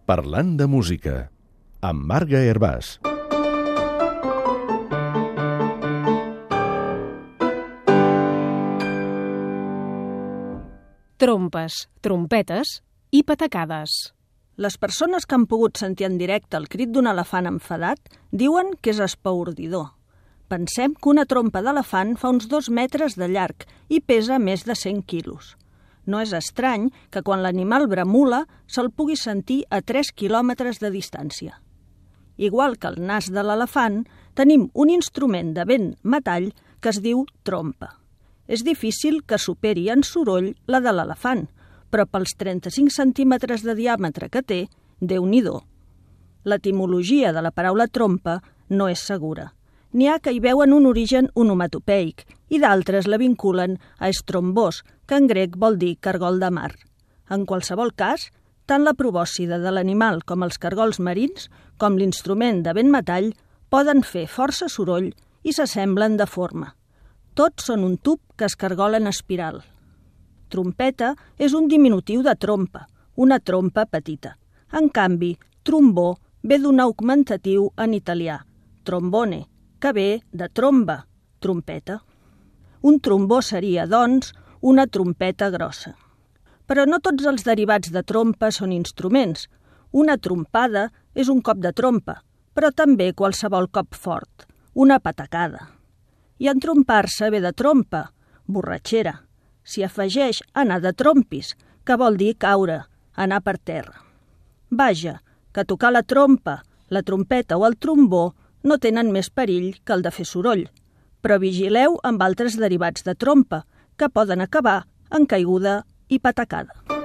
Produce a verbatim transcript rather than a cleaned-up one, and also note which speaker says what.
Speaker 1: Parlant de música, amb Marga Hervàs.
Speaker 2: Trompes, trompetes i patacades.
Speaker 3: Les persones que han pogut sentir en directe el crit d'un elefant enfadat diuen que és espaordidor. Pensem que una trompa d'elefant fa uns dos metres de llarg i pesa més de cent quilos. No és estrany que quan l'animal bramula se'l pugui sentir a tres quilòmetres de distància. Igual que el nas de l'elefant, tenim un instrument de vent metall que es diu trompa. És difícil que superi en soroll la de l'elefant, però pels trenta-cinc centímetres de diàmetre que té, Déu-n'hi-do. L'etimologia de la paraula trompa no és segura. N'hi ha que hi veuen un origen onomatopeic i d'altres la vinculen a estrombós, que en grec vol dir cargol de mar. En qualsevol cas, tant la probòscide de l'animal com els cargols marins, com l'instrument de vent metall, poden fer força soroll i s'assemblen de forma. Tots són un tub que es cargola en espiral. Trompeta és un diminutiu de trompa, una trompa petita. En canvi, trombó ve d'un augmentatiu en italià, trombone, que ve de tromba, trompeta. Un trombó seria, doncs, una trompeta grossa. Però no tots els derivats de trompa són instruments. Una trompada és un cop de trompa, però també qualsevol cop fort, una patacada. I entrompar-se ve de trompa, borratxera. S'hi afegeix anar de trompis, que vol dir caure, anar per terra. Vaja, que tocar la trompa, la trompeta o el trombó no tenen més perill que el de fer soroll, però vigileu amb altres derivats de trompa, que poden acabar en caiguda i patacada.